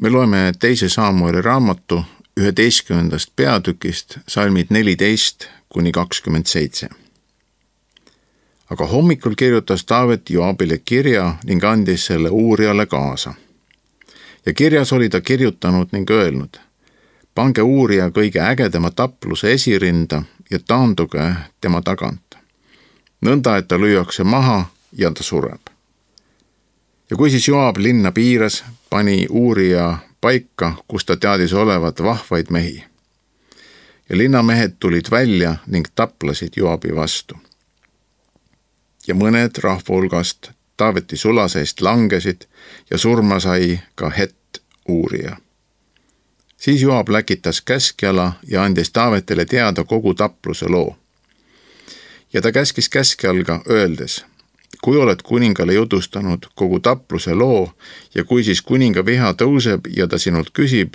Me loeme 2. Saamueli raamatu 11. peatükist salmid 14-27. Aga hommikul kirjutas Taavet Joabile kirja ning andis selle Uuriale kaasa. Ja kirjas oli ta kirjutanud ning öelnud: pange Uuria kõige ägedama tapluse esirinda ja taanduge tema tagant. Nõnda, et ta lüüakse maha ja ta sureb. Ja kui siis Joab linna piiras, pani Uuria paika, kus ta teadis olevat vahvaid mehi. Ja linnamehed tulid välja ning taplasid Joabi vastu. Ja mõned rahva hulgast Taaveti sulaseest langesid ja surma sai ka Hett Uuria. Siis Joab läkitas käskjala ja andis Taavetile teada kogu tapluse loo. Ja ta käskis käskjalga öeldes: kui oled kuningale jutustanud kogu tapluse loo ja kui siis kuninga viha tõuseb ja ta sinult küsib,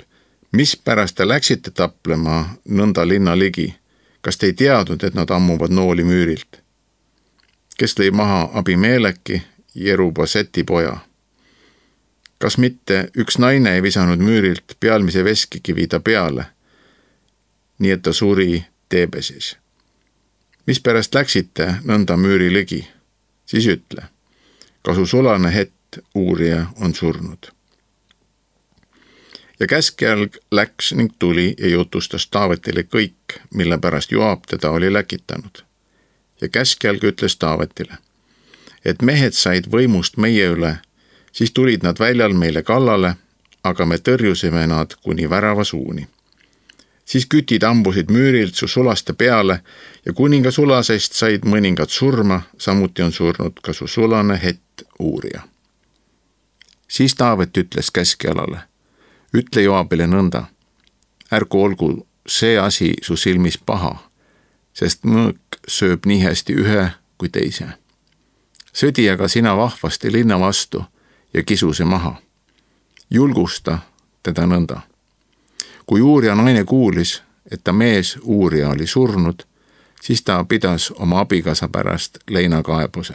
mis pärast te läksite taplema nõnda linna ligi, kas te ei teadnud, et nad ammuvad nooli müürilt? Kes lõi maha Abimeleki, Jerubaseti poja? Kas mitte üks naine ei visanud müürilt pealmise veskikivi ta peale, nii et ta suri Teebesis? Mis pärast läksite nõnda müüri ligi? Siis ütle, ka su sulane Hett Uuria on surnud. Ja käskjalg läks ning tuli ja jutustas Taavetile kõik, mille pärast Joab teda oli läkitanud. Ja käskjalg ütles Taavetile, et mehed said võimust meie üle, siis tulid nad väljal meile kallale, aga me tõrjusime nad kuni värava suuni. Siis kütid ambusid müürilt su sulaste peale ja kuninga sulasest said mõningad surma, samuti on surnud ka su sulane Hett Uuria. Siis Taavet ütles käskjalale: ütle Joabile nõnda, ärgu olgu see asi su silmis paha, sest mõõk sööb nii hästi ühe kui teise. Sõdi aga sina vahvasti linna vastu ja kisu see maha. Julgusta teda nõnda. Kui Uuria naine kuulis, et ta mees Uuria oli surnud, siis ta pidas oma abikaasa pärast leinakaebuse.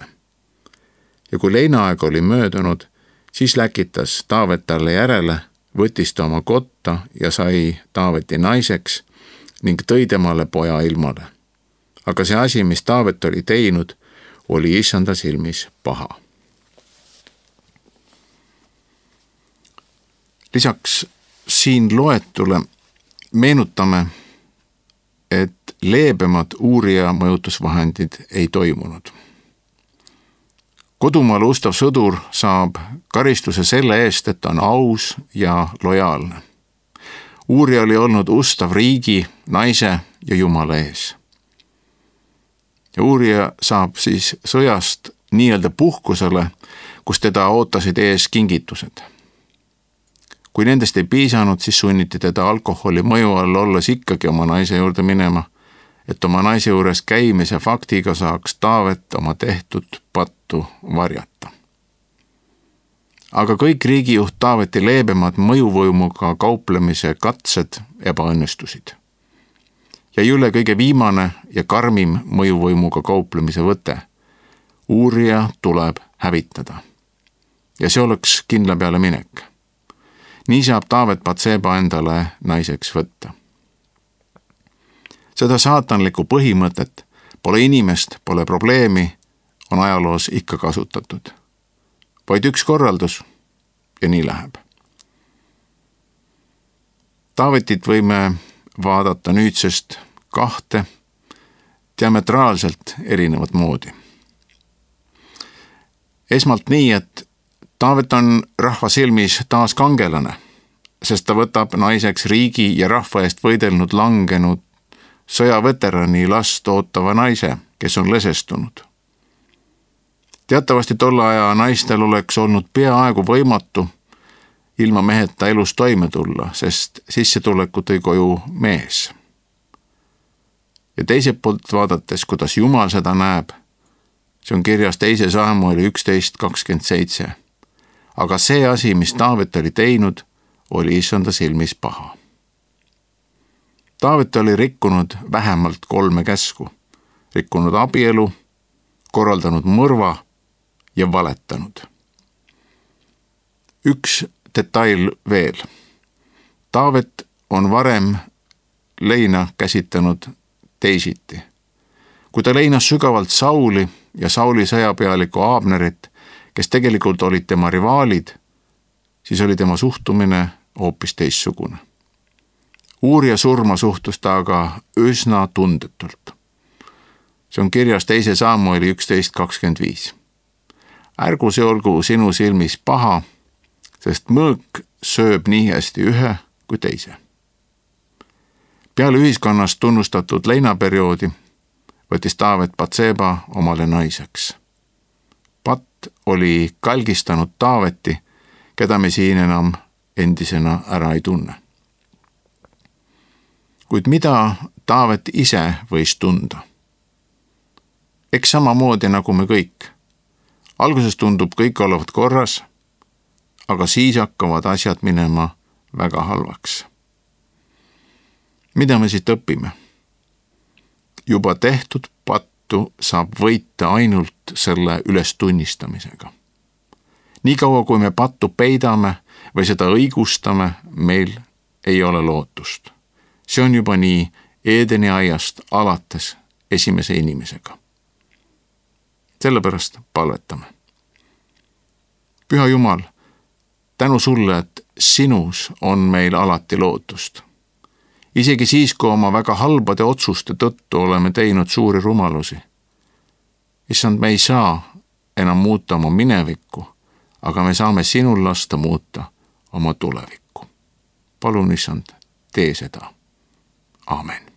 Ja kui leinaaeg oli möödunud, siis läkitas Taavet talle järele, võttis ta oma kotta ja sai Taaveti naiseks ning tõi temale poja ilmale. Aga see asi, mis Taavet oli teinud, oli Issanda silmis paha. Lisaks siin loetule meenutame, et leebemad Uuria mõjutusvahendid ei toimunud. Kodumaal ustav sõdur saab karistuse selle eest, et ta on aus ja lojaalne. Uuria oli olnud ustav riigi, naise ja Jumala ees. Ja Uuria saab siis sõjast nii-öelda puhkusele, kus teda ootasid ees kingitused. Kui nendest ei piisanud, siis sunniti teda alkoholi mõju all olles ikkagi oma naise juurde minema, et oma naise juures käimise faktiga saaks Taavet oma tehtud pattu varjata. Aga kõik riigijuht Taaveti leebemad mõjuvõimuga kauplemise katsed ebaõnnestusid. Ja üle kõige viimane ja karmim mõjuvõimuga kauplemise võte. Uuria tuleb hävitada. Ja see oleks kindla peale minek. Nii saab Taavet Batseba endale naiseks võtta. Seda saatanlikku põhimõtet, pole inimest, pole probleemi, on ajaloos ikka kasutatud. Vaid üks korraldus ja nii läheb. Taavetit võime vaadata nüüdsest kahte diametraalselt erinevat moodi. Esmalt nii, et Taavet on rahva silmis taas kangelane, sest ta võtab naiseks riigi ja rahva eest võidelnud langenud sõjaveterani last ootava naise, kes on lesestunud. Teatavasti tolle aja naistel oleks olnud peaaegu võimatu ilma meheta elus toime tulla, sest sissetuleku tõi koju mees. Ja teiselt poolt vaadates, kuidas Jumal seda näeb, see on kirjas 2. Saamueli 11:27. Aga see asi, mis Taavet oli teinud, oli Issanda silmis paha. Taavet oli rikkunud vähemalt 3 käsku, rikkunud abielu, korraldanud mõrva ja valetanud. Üks detail veel. Taavet on varem leina käsitlenud teisiti. Kui ta leinas sügavalt Sauli ja Sauli sõjapealiku Abnerit, kes tegelikult olid tema rivaalid, siis oli tema suhtumine hoopis teistsugune. Uuria surma suhtus ta aga üsna tundetult. See on kirjas 2 Samueli 11:25. Ärgu see olgu sinu silmis paha, sest mõõk sööb nii hästi ühe kui teise. Peale ühiskonnas tunnustatud leinaperioodi võttis Taavet Batseba omale naiseks. Pat oli kalgistanud Taaveti, keda me siin enam endisena ära ei tunne. Kuid mida Taavet ise võis tunda? Eks samamoodi nagu me kõik. Alguses tundub kõik olevat korras, aga siis hakkavad asjad minema väga halvaks. Mida me siit õpime? Juba tehtud pattu saab võita ainult selle ülestunnistamisega. Niikaua kui me pattu peidame või seda õigustame, meil ei ole lootust. See on juba nii Eedeni aiast alates esimese inimesega. Sellepärast palvetame. Püha Jumal, tänu sulle, et sinus on meil alati lootust. Isegi siis, kui oma väga halbade otsuste tõttu oleme teinud suuri rumalusi. Issand, me ei saa enam muuta oma minevikku, aga me saame sinul lasta muuta oma tulevikku. Palun, Issand, tee seda. Aamen.